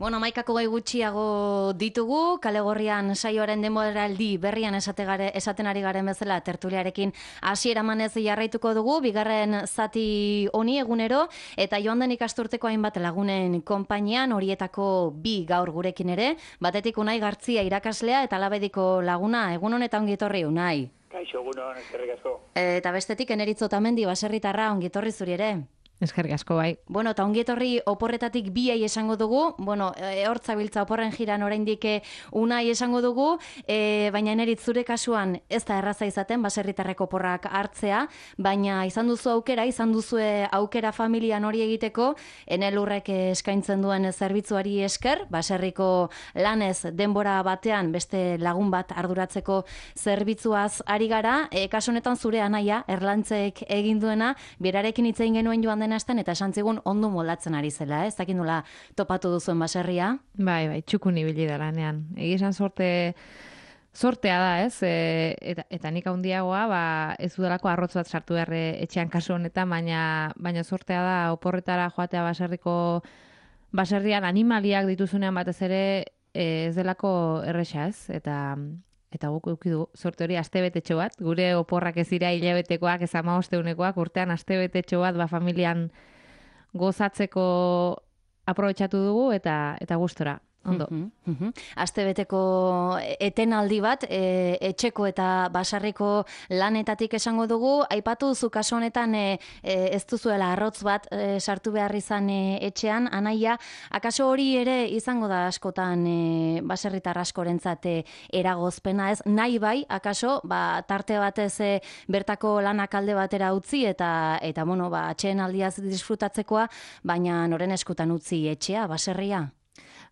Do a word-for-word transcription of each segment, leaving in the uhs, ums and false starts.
Bueno, amaikako gai gutxiago ditugu, kale gorrian saioaren denboraldi berrian esate gare, esaten ari garen bezala tertuliarekin hasiera emanez jarraituko dugu, bigarren zati honi egunero, eta joan den ikasturteko hainbat lagunen konpainian, horietako bi gaur gurekin ere, batetik Unai Gartzia irakaslea eta Labediko laguna, egun honetan ongi etorri Unai. Kaixo, egun hon, eskerrik asko. Eta bestetik Eneritz Otamendi baserritarra ongi etorri zuri ere. Eskerrik asko bai. Bueno, eta ongi etorri oporretatik biai esango dugu, bueno, e, hortzabiltza oporren jiran oraindik Unai esango dugu, e, baina Eneritz zure kasuan ez da erraza izaten baserritarreko oporrak hartzea, baina izan duzu aukera, izan duzue aukera familian hori egiteko, Enelurrek eskaintzen duen zerbitzuari esker, baserriko lanez denbora batean beste lagun bat arduratzeko zerbitzuaz ari gara, e, kasu honetan zure anaia, Erlantzek egin duena, berarekin hitz egin genuen joan den asten eta esan zigun ondo moldatzen ari zela, ez dakit nola topatu duzuen baserria? Bai, bai, txukun ibili da lanean. Egi esan sorte, sortea da, ez? E, eta, eta nik handiagoa, ba, ez udalako arrotz bat sartu behar etxean kasu honetan, baina, baina sortea da oporretara joatea baserriko baserrian animaliak dituzunean batez ere ez delako erresa, ez? Eta Eta guk eduki du sorte hori astebetetxo bat, gure oporrak ez dira hilabetekoak, ez hamabosteunekoak, urtean astebetetxo bat ba familian gozatzeko aprobetxatu dugu eta eta gustora. Ondo. Uh-huh, uh-huh. Astebeteko etenaldi bat, e, etxeko eta basarriko lanetatik esango dugu, aipatu duzu kasu honetan e, e, ez duzuela arrotz bat e, sartu behar izan e, etxean, anaia, akaso hori ere izango da askotan e, baserritar askorentzat e, eragozpena ez, nahi bai, akaso, ba, tarte batez e, bertako lanak alde batera utzi eta, eta bueno, ba, atxeen aldiaz disfrutatzekoa, baina noren eskutan utzi etxea, baserria?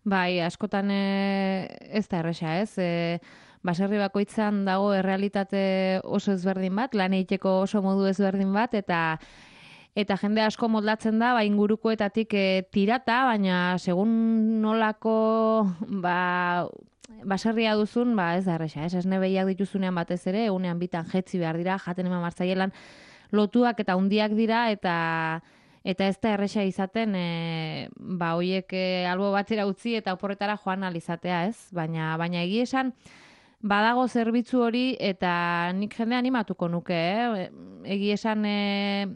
Bai, askotan e, ez da erresa, ez? E, baserri bakoitzan dago errealitate oso ezberdin bat, lan egiteko oso modu ezberdin bat, eta eta jende asko moldatzen da, ba, ingurukoetatik e, tirata, baina segun nolako ba, baserria duzun, ba, ez da erresa, ez? Esne behiak dituzunean batez ere, egunean bitan jetzi behar dira, jaten eman martzaielan lotuak eta hundiak dira, eta Eta ez da erresa izaten, e, ba, hoiek e, albo batera utzi eta oporretara joan alizatea, ez? Baina, baina egi esan, badago zerbitzu hori eta nik jende animatuko nuke, eh? Egi esan e,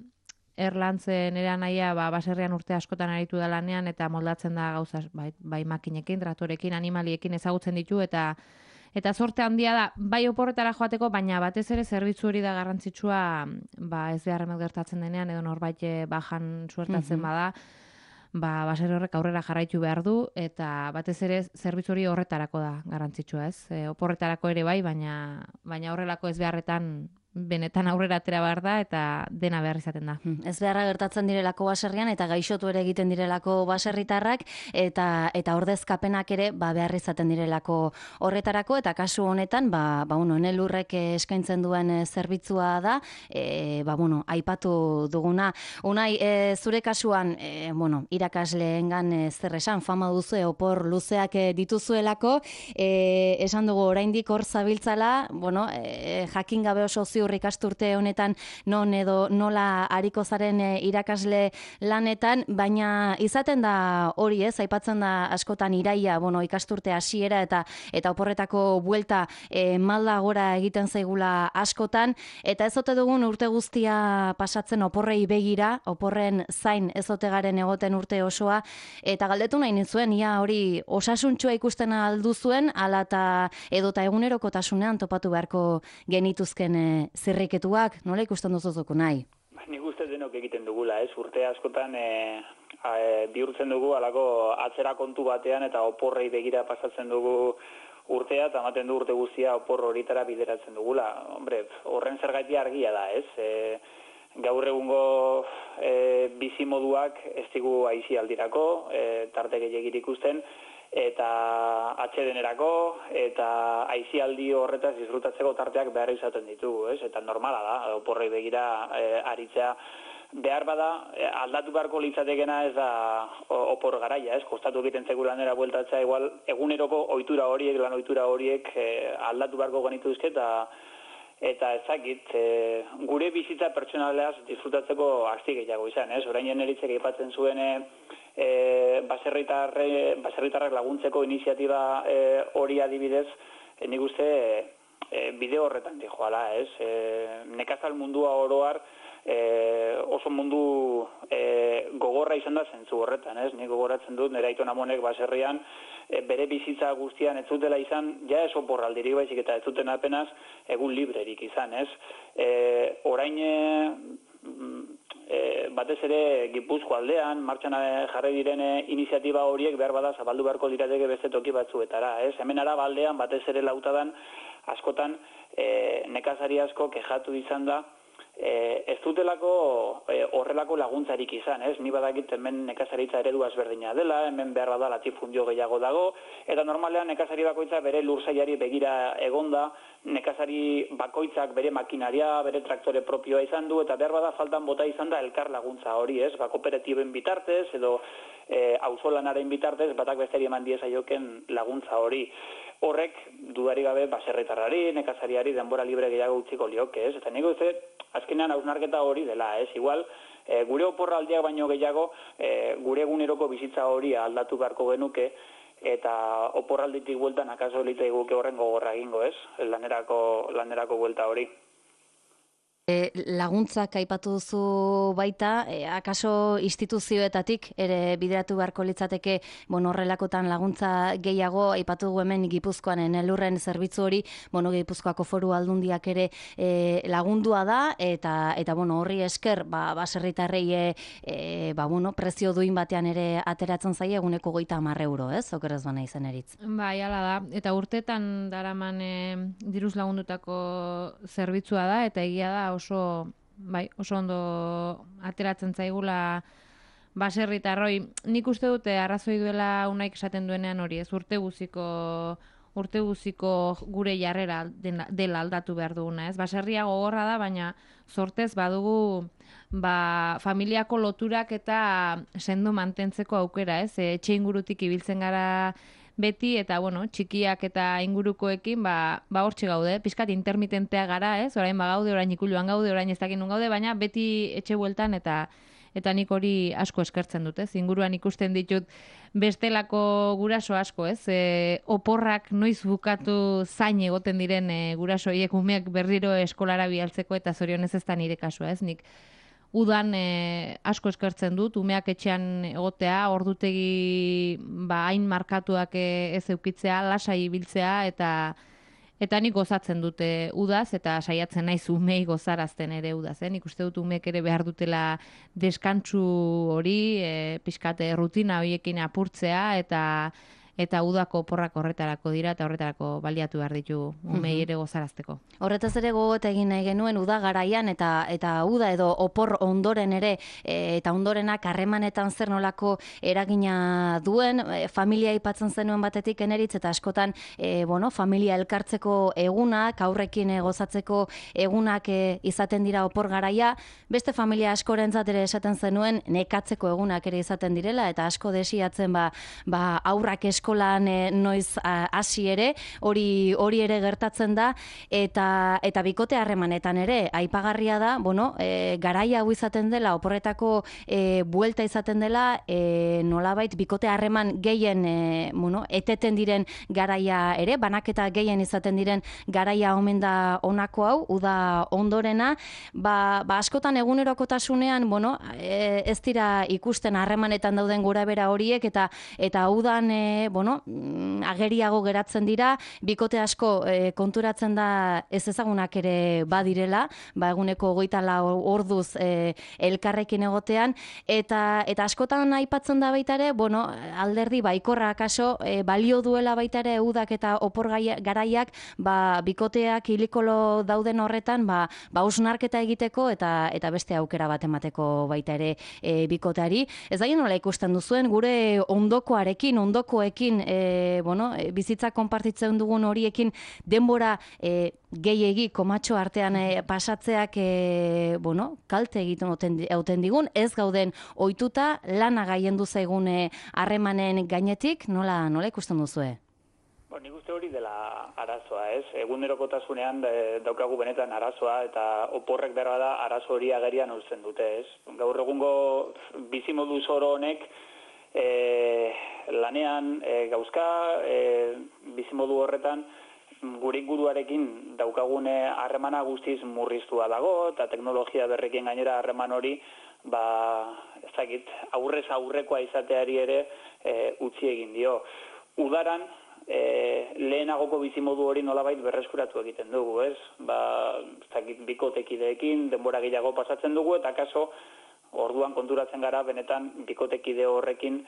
Erlantzen ere anaia, ba, baserrian urte askotan aritu da lanean eta moldatzen da gauza, bai, bai makinekin, traktorekin, animaliekin ezagutzen ditu eta Eta sorte handia da, bai oporretara joateko, baina batez ere zerbitzu hori da garrantzitsua, ba ez beharremet gertatzen denean, edo norbait bajan suertatzen mm-hmm. bada, ba baserri horrek aurrera jarraitu behar du, eta batez ere zerbitzu hori horretarako da garrantzitsua, ez? E, oporretarako ere bai, baina, baina horrelako ez beharretan benetan aurrera atera behar da eta dena behar izaten da. Ez beharra gertatzen direlako baserrian eta gaixotu ere egiten direlako baserritarrak eta eta ordezkapenak ere ba behar izaten direlako horretarako eta kasu honetan ba ba bueno, Enelurrek eskaintzen duen zerbitzua da, e, ba bueno, aipatu duguna. Unai, e, zure kasuan, e, bueno, irakasleengan e, zer esan fama duzu opor luzeak e, dituzuelako, e, esan dugu oraindik hor zabiltzala, bueno, e, jakin gabe oso ziur ikasturte honetan non edo nola ariko zaren e, irakasle lanetan, baina izaten da hori, ez, aipatzen da askotan iraia, bueno, ikasturte hasiera eta eta oporretako buelta e, malda gora egiten zaigula askotan, eta ez ote dugun urte guztia pasatzen oporrei begira, oporren zain ez ote garen egoten urte osoa, eta galdetu nahi nizuen, ia hori osasuntsua ikusten aldu zuen, ala eta edota egunerokotasunean topatu beharko genituzken e, zirriketuak, nola ikusten duzuzuko nahi? Nik uste denok egiten dugula, ez? Urte askotan e, e, bihurtzen dugu alako atzera kontu batean eta oporrei begira pasatzen dugu urtea eta ematen du urte guztia opor horitara bideratzen dugula. Hombre, horren zergatia argia da, ez? E, gaur egungo e, bizimoduak ez digu aisialdirako, e, tarte gehiagir ikusten, eta atsedenerako eta aisialdi horretaz disfrutatzeko tarteak behar izaten ditugu, ez? Eta normala da, oporrei begira e, aritzea behar bada, e, aldatu beharko litzatekena ez da opor garaia, ez? Kostatu egiten zegu lanera bueltatzea, igual eguneroko ohitura horiek, lan ohitura horiek e, aldatu beharko genituzke eta eta ezakit, e, gure bizitza pertsonaleaz disfrutatzeko asti gehiago izan, ez? Orain jeneritzek aipatzen zuen e, baserritarre, baserritarrak laguntzeko iniziatiba e, hori adibidez, e, nik uste e, bide horretan dijoala, ez? E, nekazal mundua oroar e, oso mundu e, gogorra izan da zentzu horretan, ez? Nik gogoratzen dut, nire aiton amonek baserrian, e, bere bizitza guztian ez zutela izan, ja ez oporraldirik baizik eta ez zuten apenas egun librerik izan, ez? E, orain e, batez ere Gipuzko aldean, martxan jarri diren iniziatiba horiek behar bada zabaldu beharko dirateke beste toki batzuetara, ez? Hemen Araba aldean batez ere lautadan askotan e, nekazari asko kexatu izan da E, ez dutelako e, horrelako laguntzarik izan, ez? Ni badakit hemen nekazaritza eredu ezberdina dela, hemen behar bada latifundio gehiago dago, eta normalean nekazari bakoitza bere lursaiari begira egonda, nekazari bakoitzak bere makinaria, bere traktore propioa izan du, eta behar bada faltan bota izan da elkar laguntza hori, ez? Ba, kooperatiben bitartez, edo e, auzolanaren bitartez, batak besteri eman diezaioken laguntza hori. Horrek, dudari gabe, baserritarrari, nekazariari denbora libre gehiago utziko lioke, ez? Eta nik uste, azkenean hausnarketa hori dela, ez? Igual, e, gure oporraldiak baino gehiago, e, gure eguneroko bizitza hori aldatu beharko genuke, eta oporralditik bueltan akaso elite guke horren gogorra egingo, ez? Lanerako, lanerako buelta hori. E, laguntzak aipatu duzu baita, e, akaso instituzioetatik ere bideratu beharko litzateke, bueno, horrelakotan laguntza gehiago, aipatu dugu hemen Gipuzkoan elurren zerbitzu hori, bueno, Gipuzkoako Foru Aldundiak ere e, lagundua da, eta eta bueno, horri esker, ba baserritarrei e, e, ba bueno, prezio duin batean ere ateratzen zaie eguneko hogeita hamar euro, ez? Okerrez bana izen eritz. Bai, hala da. Eta urtetan daraman e, diruz lagundutako zerbitzua da, eta egia da oso, bai, oso ondo ateratzen zaigula baserritarroi. Nik uste dute arrazoi duela unaik esaten duenean hori, ez urte guziko urte guziko gure jarrera dela aldatu behar duguna, ez? Baserria gogorra da, baina sortez badugu ba, familiako loturak eta sendo mantentzeko aukera, ez? Etxe ingurutik ibiltzen gara beti, eta, bueno, txikiak eta ingurukoekin, ba, ba hortxe gaude, pizkat intermitentea gara, ez? Orain ba gaude, orain ikuluan gaude, orain ez dakin nun gaude, baina beti etxe bueltan eta eta nik hori asko eskertzen dut, ez? Inguruan ikusten ditut bestelako guraso asko, ez? E, oporrak noiz bukatu zain egoten diren e, gurasoiek umeak berriro eskolara bialtzeko, eta zorionez ez da nire kasua, ez? Nik udan e, asko eskertzen dut, umeak etxean egotea, ordutegi ba, hain markatuak e, ez eukitzea, lasai ibiltzea, eta eta nik gozatzen dute udaz, eta saiatzen naiz umei gozarazten ere udaz. Eh? Nik uste dut umeek ere behar dutela deskantsu hori, e, pixkate rutina horiekin apurtzea, eta eta udako porrak horretarako dira, eta horretarako baliatu behar ditu umei ere gozarazteko. Horretaz ere gogot egin nahi genuen uda garaian, eta eta uda edo opor ondoren ere, e, eta ondorenak harremanetan zer nolako eragina duen, e, familia aipatzen zenuen batetik eneritz, eta askotan e, bueno, familia elkartzeko egunak, aurrekin e, gozatzeko egunak e, izaten dira opor garaia, beste familia askorentzat ere esaten zenuen nekatzeko egunak ere izaten direla, eta asko desiatzen ba, ba aurrak eskolan e, noiz hasi ere, hori hori ere gertatzen da, eta eta bikote harremanetan ere aipagarria da, bueno, e, garaia hau izaten dela, oporretako e, buelta izaten dela, e, nolabait bikote harreman gehien e, bueno, eteten diren garaia ere, banaketa gehien izaten diren garaia omen da honako hau, uda ondorena, ba, ba askotan egunerokotasunean, bueno, e, ez dira ikusten harremanetan dauden gorabehera horiek, eta eta udan e, bueno, ageriago geratzen dira, bikote asko e, konturatzen da ez ezagunak ere badirela, ba eguneko hogeita lau orduz e, elkarrekin egotean, eta eta askotan aipatzen da baita ere, bueno, alderdi baikorra akaso e, balio duela baita ere udak eta opor garaiak, ba bikoteak hilikolo dauden horretan, ba ba hausnarketa egiteko eta eta beste aukera bat emateko baita ere e, bikoteari. Ez da nola ikusten duzuen gure ondokoarekin, ondokoekin E, bueno, e, bizitza konpartitzen dugun horiekin denbora e, gehiegi komatxo artean e, pasatzeak e, bueno, kalte egiten hauten digun, ez gauden ohituta lana gaiendu zaigun harremanen gainetik, nola nola ikusten duzue? Bo, nik uste hori dela arazoa, ez? Egunerokotasunean daukagu benetan arazoa eta oporrek behar da arazo hori agerian urtzen dute, ez? Gaur egungo bizimodu zoro honek e, lanean e, gauzka e, bizimodu horretan gure inguruarekin daukagune harremana guztiz murriztua dago eta teknologia berrekin gainera harreman hori ba, ez dakit, aurrez aurrekoa izateari ere e, utzi egin dio. Udaran E, lehenagoko bizimodu hori nolabait berreskuratu egiten dugu, ez? Ba, bikotekideekin denbora gehiago pasatzen dugu eta kaso orduan konturatzen gara benetan bikotekide horrekin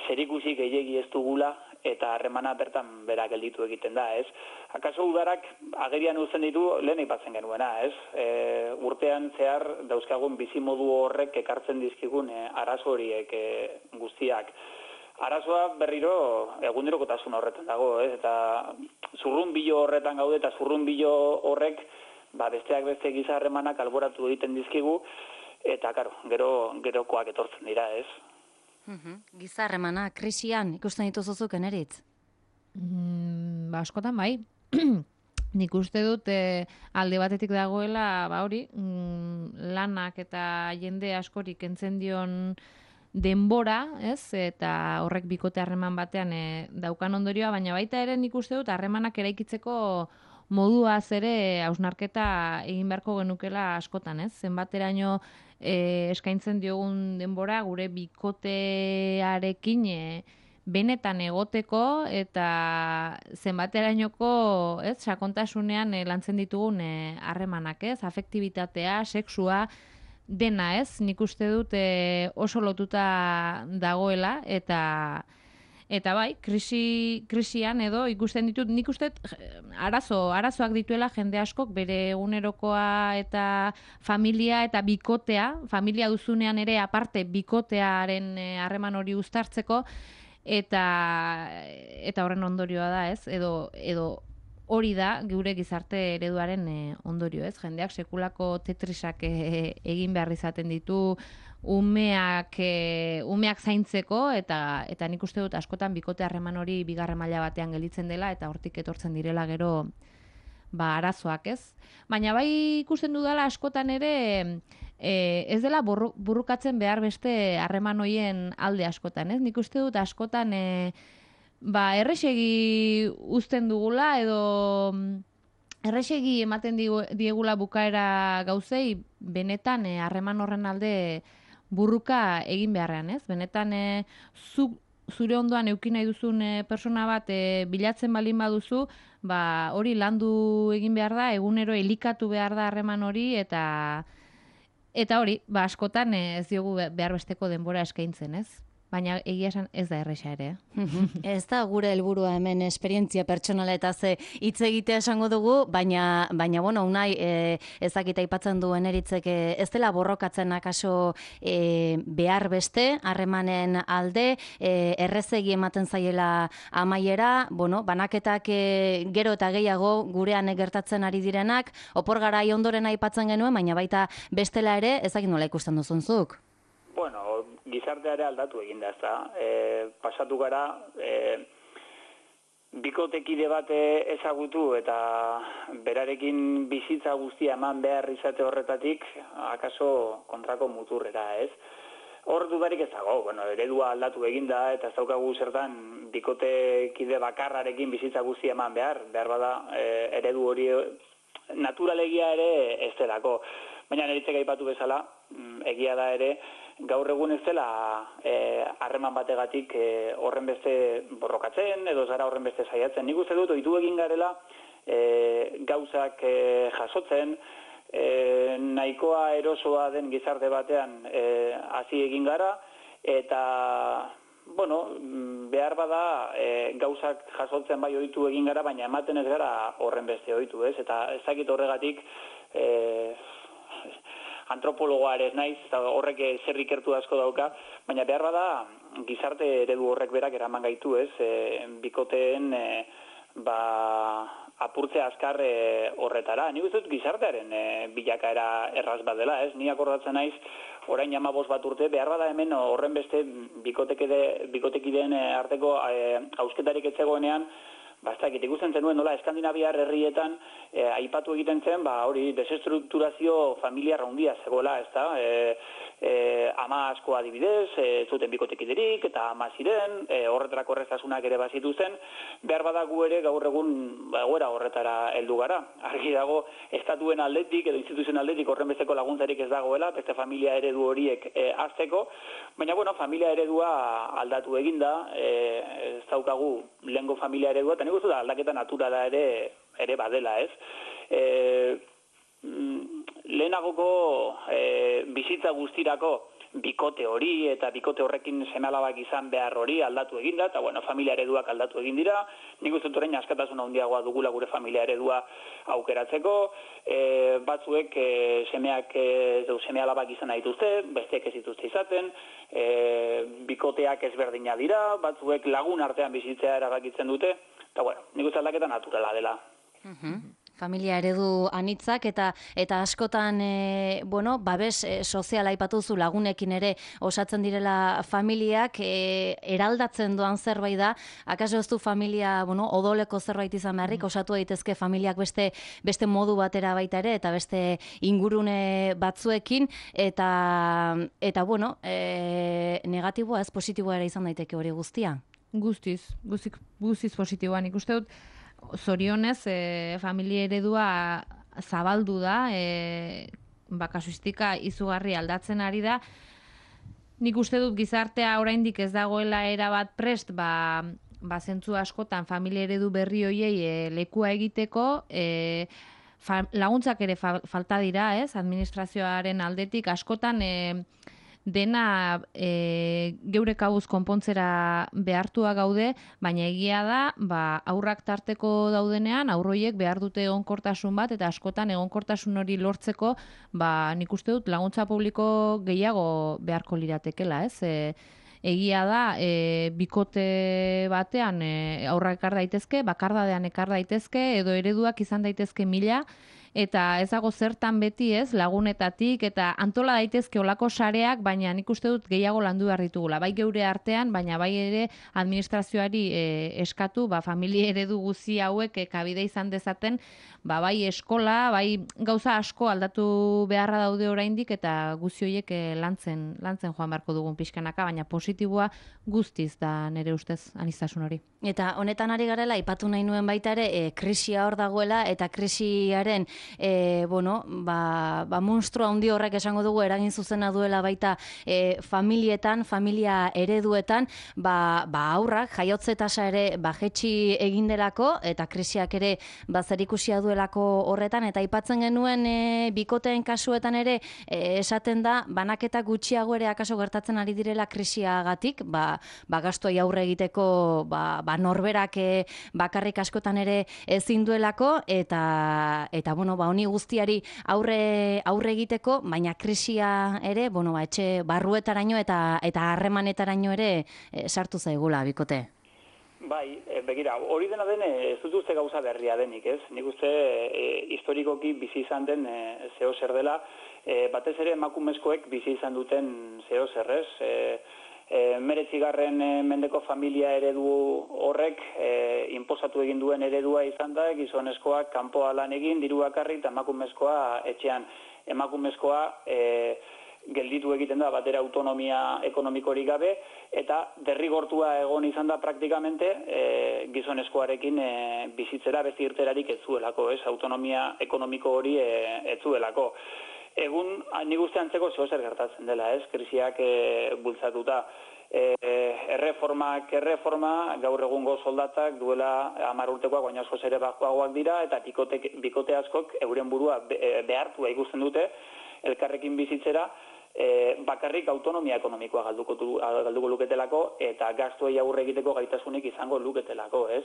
zerikusi gehiegi ez dugula eta harremana bertan bera gelditu egiten da, ez? Akaso udarak agerian uzten ditu lehen aipatzen genuena, ez? E, urtean zehar dauzkagun bizimodu horrek ekartzen dizkigun e, arazo horiek e, guztiak. Arazoa berriro egunerokotasun horretan dago, ez? Eta zurrunbilo horretan gaude eta zurrunbilo horrek ba, besteak beste giza harremanak alboratu egiten dizkigu eta karo, gero gerokoak etortzen dira, ez? Uh-huh. Giza harremana krisian ikusten dituzuzuk Eneritz? Mm, ba, askotan bai. Nik uste dut e, alde batetik dagoela, ba hori, mm, lanak eta jende askorik kentzen dion denbora, ez? Eta horrek bikote harreman batean e, daukan ondorioa, baina baita ere nik uste dut harremanak eraikitzeko moduaz ere hausnarketa egin beharko genukela askotan, ez? Zenbateraino e, eskaintzen diogun denbora gure bikotearekin e, benetan egoteko eta zenbaterainoko, ez? Sakontasunean e, lantzen ditugun harremanak, ez? Afektibitatea, sexua, dena, ez? Nik uste dut e, oso lotuta dagoela eta eta bai, krisi, krisian edo ikusten ditut, nik uste arazo, arazoak dituela jende askok bere egunerokoa eta familia eta bikotea, familia duzunean ere aparte bikotearen harreman hori uztartzeko eta eta horren ondorioa da, ez? Edo edo hori da gure gizarte ereduaren e, ondorio, ez? Jendeak sekulako tetrisak e, egin behar izaten ditu umeak e, umeak zaintzeko eta eta nik uste dut askotan bikote harreman hori bigarren maila batean gelditzen dela eta hortik etortzen direla gero ba arazoak, ez? Baina bai ikusten dudala askotan ere e, ez dela burru, burrukatzen behar beste harreman hoien alde askotan, ez? Nik uste dut askotan e, ba, errexegi uzten dugula edo errexegi ematen diegula bukaera gauzei benetan harreman horren alde burruka egin beharrean, ez? Benetan e, zu, zure ondoan eduki nahi duzun e, persona bat e, bilatzen balin baduzu, ba, hori landu egin behar da, egunero elikatu behar da harreman hori eta eta hori, ba, askotan e, ez diogu behar besteko denbora eskaintzen, ez? Baina egia esan ez da erresa ere. Ez da gure helburua hemen esperientzia pertsonala eta ze hitz egitea esango dugu, baina, baina bueno, unai e, ezakita aipatzen duen Eritzek e, ez dela borrokatzen akaso e, behar beste, harremanen alde, e, errezegi ematen zaiela amaiera, bueno, banaketak e, gero eta gehiago gurean gertatzen ari direnak, opor garai ondoren aipatzen genuen, baina baita bestela ere ezakit nola ikusten duzunzuk. Bueno, gizarteare aldatu egin da, ezta. E, pasatu gara, e, bikotekide bat ezagutu eta berarekin bizitza guztia eman behar izate horretatik, akaso kontrako muturrera, ez? Hor dudarik ez dago, bueno, eredua aldatu egin da eta ez daukagu zertan bikotekide bakarrarekin bizitza guztia eman behar, behar bada e, eredu hori naturalegia ere ez delako. Baina Eritzek aipatu bezala, egia da ere, gaur egun ez dela harreman e, bategatik e, horren beste borrokatzen edo zara horren beste saiatzen. Nik uste dut ohitu egin garela e, gauzak e, jasotzen, e, nahikoa erosoa den gizarte batean e, hasi egin gara eta bueno, behar bada e, gauzak jasotzen bai ohitu egin gara, baina ematen ez gara horren beste ohitu, ez? Eta ezakit horregatik e, antropologoa ere ez naiz, eta horrek zer ikertu asko dauka, baina behar bada gizarte eredu horrek berak eraman gaitu, ez? E, bikoteen e, ba, apurtze azkar e, horretara. Nik uste dut gizartearen e, bilakaera erraz bat dela, ez? Ni akordatzen naiz, orain hamabost bat urte, behar bada hemen horren beste bikotekide, bikotekideen arteko e, hausketarik etzegoenean, Bastakit, ikusten zenuen nola Eskandinaviar herrietan e, aipatu egiten zen, ba hori desestrukturazio familiar handia zegoela, ezta? E, e, ama asko adibidez, e, zuten bikotekiderik eta ama ziren, e, horretarako erraztasunak ere bazitu zen, behar badagu ere gaur egun ba, egoera horretara heldu gara. Argi dago estatuen aldetik edo instituzioen aldetik horren besteko laguntzarik ez dagoela, beste familia eredu horiek e, azteko, baina bueno, familia eredua aldatu eginda, e, ez daukagu lehengo familia eredua, eta nik uste da aldaketa naturala ere ere badela, ez? E, lehenagoko e, bizitza guztirako bikote hori eta bikote horrekin seme-alabak izan behar hori aldatu eginda, eta bueno, familia ereduak aldatu egin dira, nik uste dut orain askatasuna handiagoa dugula gure familia eredua aukeratzeko, e, batzuek e, semeak e, seme-alabak izan dituzte, besteek ez dituzte izaten, e, bikoteak ezberdina dira, batzuek lagun artean bizitzea erabakitzen dute, eta bueno, nik uste aldaketa naturala dela. Uh-huh. Familia eredu anitzak eta eta askotan e, bueno, babes e, soziala aipatuzu lagunekin ere osatzen direla familiak, e, eraldatzen doan zerbait da, akaso ez du familia, bueno, odoleko zerbait izan beharrik, osatu daitezke familiak beste beste modu batera baita ere eta beste ingurune batzuekin eta eta bueno, e, negatiboa ez positiboa ere izan daiteke hori guztia. Guztiz, guztiz, guztiz positiboan ikuste dut. Zorionez, e, familia eredua zabaldu da, e, ba, kasuistika izugarri aldatzen ari da. Nik uste dut gizartea oraindik ez dagoela erabat prest, ba, ba zentzu askotan familia eredu berri hoiei e, lekua egiteko, e, fa, laguntzak ere fa, falta dira, ez? Administrazioaren aldetik askotan e, dena e, geure kabuz konpontzera behartua gaude, baina egia da, ba, aurrak tarteko daudenean, aurroiek behar dute egonkortasun bat, eta askotan egonkortasun hori lortzeko, ba, nik uste dut laguntza publiko gehiago beharko liratekela, ez? E, egia da, e, bikote batean e, aurrak ekar daitezke, bakardadean ekar daitezke, edo ereduak izan daitezke mila, eta ez dago zertan beti ez, lagunetatik, eta antola daitezke olako sareak, baina nik uste dut gehiago landu behar ditugula. Bai geure artean, baina bai ere administrazioari e, eskatu, ba, familia eredu guzi hauek e, kabide izan dezaten, ba, bai eskola, bai gauza asko aldatu beharra daude oraindik, eta guzi horiek e, lantzen, lantzen joan beharko dugun pixkanaka, baina positiboa guztiz da nire ustez aniztasun hori. Eta honetan ari garela, ipatu nahi nuen baita ere, e, krisia hor dagoela, eta krisiaren E, bueno, ba, ba monstrua handi horrek esango dugu eragin zuzena duela baita e, familietan, familia ereduetan, ba, ba aurrak jaiotze tasa ere ba jetxi egin delako eta krisiak ere ba zerikusia duelako horretan, eta aipatzen genuen e, bikoteen kasuetan ere e, esaten da banaketa gutxiago ere akaso gertatzen ari direla krisiagatik, ba, ba gastuei aurre egiteko ba, ba norberak e, bakarrik askotan ere ezin duelako, eta eta bueno, ba, honi guztiari aurre aurre egiteko, baina krisia ere, bueno, ba, etxe barruetaraino eta eta harremanetaraino ere e, sartu zaigula bikote. Bai, e, begira, hori dena den ez dut uste gauza berria denik, ez? Nik uste e, historikoki bizi izan den e, zeo zer dela, e, batez ere emakumezkoek bizi izan duten zeo zer, ez? E, E, meretzigarren e, mendeko familia eredu horrek e, inposatu egin duen eredua izan da, gizonezkoak kanpoa lan egin, diru bakarrik, eta emakumezkoa etxean. Emakumezkoa e, gelditu egiten da batera autonomia ekonomikorik gabe, eta derrigortua egon izan da praktikamente e, gizonezkoarekin e, bizitzera beste irterarik ez zuelako, ez? Autonomia ekonomiko hori e, ez zuelako. Egun, nik uste antzeko zeo zer gertatzen dela, ez? Krisiak e, bultzatuta. E, erreformak, erreforma, gaur egungo soldatak duela hamar urtekoak, baina askoz ere bajoagoak dira, eta bikote, bikote askok euren burua be, behartua ikusten dute elkarrekin bizitzera, e, bakarrik autonomia ekonomikoa galduko, galduko luketelako, eta gastuei aurre egiteko gaitasunik izango luketelako, ez?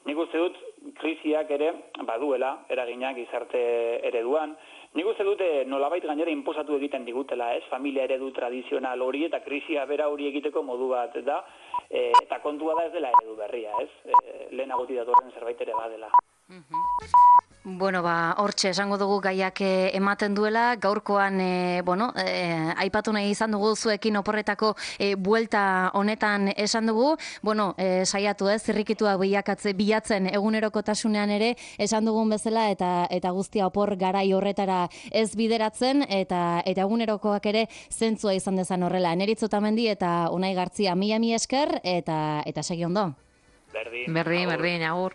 Nik uste dut krisiak ere baduela eraginak gizarte ereduan. Nik uste dute nolabait gainera inposatu egiten digutela, ez? Familia eredu tradizional hori eta krisia bera hori egiteko modu bat da, e, eta kontua da ez dela eredu berria, ez? E, lehenagotik datorren zerbait ere badela. Uh-huh. Bueno, ba, hortxe, esango dugu gaiak ematen duela, gaurkoan, e, bueno, e, aipatu nahi izan dugu zuekin oporretako e, buelta honetan esan dugu, bueno, e, saiatu ez, zirrikitua bilakatze, bilatzen egunerokotasunean ere, esan dugun bezala, eta eta guztia opor garai horretara ez bideratzen, eta eta egunerokoak ere zentzua izan dezan horrela. Eneritz Otamendi eta Unai Gartzia, mila mi esker, eta, eta segi ondo. Berdin, Berdin, berdin, agur.